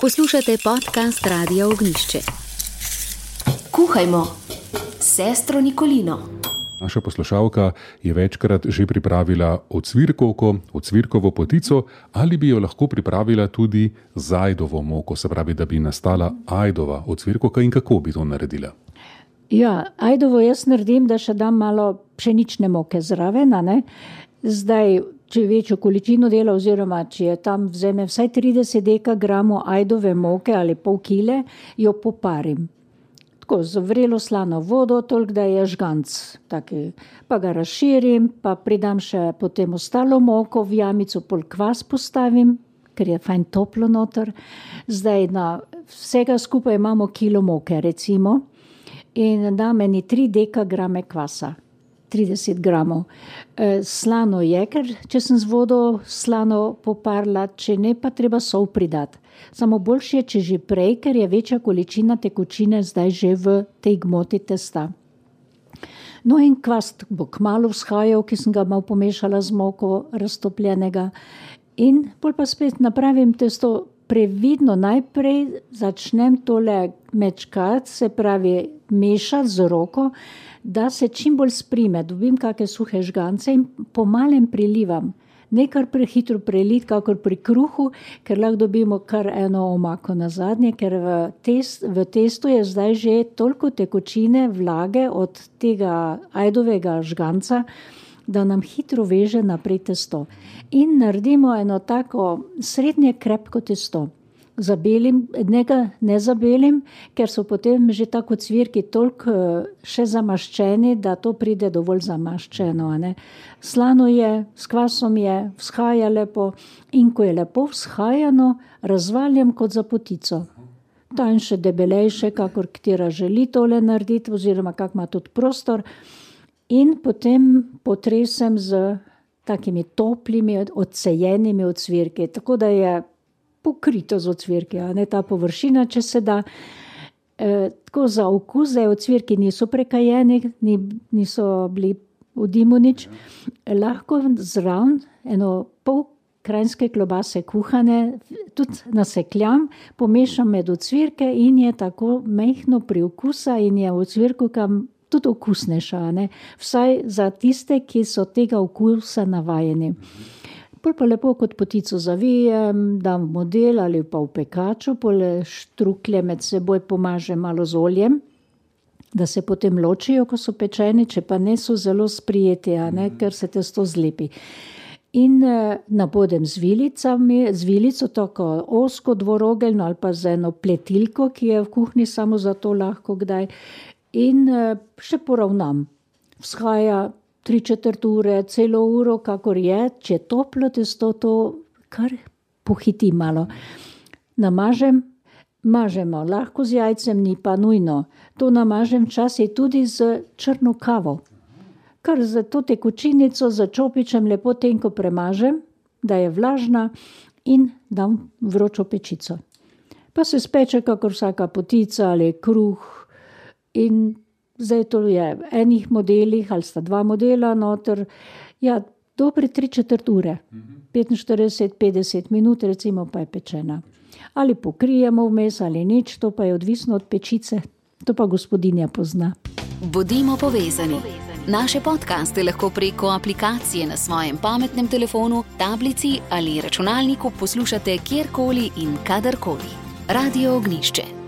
Poslušate podcast Radia Ognjišče. Kuhajmo s sestro Nikolino. Naša poslušalka je večkrat že pripravila ocvirkovko, ocvirkovo potico, ali bi jo lahko pripravila tudi z ajdovo moko, se pravi, da bi nastala ajdova ocvirkovka, in kako bi to naredila? Ja, ajdovo jaz naredim, da še dam malo pšenične moke zraven, ne? Zdaj, če večjo količino dela, oziroma če je tam vzeme vsaj 30 dekagramov ajdove moke ali pol kile, jo poparim. Tako, z vrelo slano vodo, toliko, da je žganc taki. Pa ga razširim, pa pridam še potem ostalo moko, v jamico pol kvas postavim, ker je fajn toplo noter. Zdaj na vsega skupaj imamo kilo moke, recimo, in dam eni 3 dekagrame kvasa. 30 gramov. Slano je, ker če sem z vodo slano poparila, če ne, pa treba sol pridati. Samo boljše je, če že prej, ker je večja količina tekočine zdaj že v tej gmoti testa. No in kvas bo kmalu vzhajal, ki sem ga malo pomešala z moko raztopljenega. In pol pa spet napravim testo previdno. Najprej začnem tole mečkati, se pravi mešati z roko, da se čim bolj sprime, dobim kakšne suhe žgance in po malem prilivam. Ne kar prehitro preliti, kakor pri kruhu, ker lahko dobimo kar eno omako na zadnje, ker v testu je zdaj že toliko tekočine, vlage od tega ajdovega žganca, da nam hitro veže naprej testo. In naredimo eno tako srednje krepko testo. Zabelim, ne zabelim, ker so potem že tako cvirki toliko še zamaščeni, da to pride dovolj zamaščeno. Ne? Slano je, s kvasom je, vzhaja lepo in ko je lepo vzhajano, razvaljam kot za potico. Tanjše, debelejše, kakor katera želi tole narediti, oziroma kak ima tudi prostor. In potem potresem z takimi toplimi, odcejenimi ocvirki, tako da je pokrito z ocvirki, ne ta površina, če se da. Tako za okus, da ocvirki niso prekajeni, niso bili v dimu nič. Lahko zraven eno pol krajinske klobase kuhane, tudi nasekljam, pomešam med ocvirke in je tako mehno priokusa in je v ocvirku kam tudi okusnejša, ne? Vsaj za tiste, ki so tega okusa navajeni. Pol pa lepo kot potico zavijem, dam v model ali pa v pekaču, pol štruklje med seboj pomažem malo z oljem, da se potem ločijo, ko so pečeni, če pa ne so zelo sprijeti, ker se testo zlepi. In nabodem z vilico, tako ozko dvorogeljno ali pa z eno pletilko, ki je v kuhinji samo za to lahko kdaj. In še poravnam. Vzhaja 3/4 ure, celo uro, kakor je, če toplo testo, to kar pohiti malo. Mažemo lahko z jajcem, ni pa nujno. To namažem včasih tudi z črno kavo. Kar za to tekočinico za čopičem lepo tenko premažem, da je vlažna in dam vročo pečico. Pa se speče kakor vsaka potica ali kruh in zdaj to je v enih modelih, ali sta 2 modela noter, ja, dobre 3/4 ure, 45-50 minut, recimo, pa je pečena. Ali pokrijemo vmes ali nič, to pa je odvisno od pečice, to pa gospodinja pozna. Bodimo povezani. Naše podcaste lahko preko aplikacije na svojem pametnem telefonu, tablici ali računalniku poslušate kjerkoli in kadarkoli. Radio Ognjišče.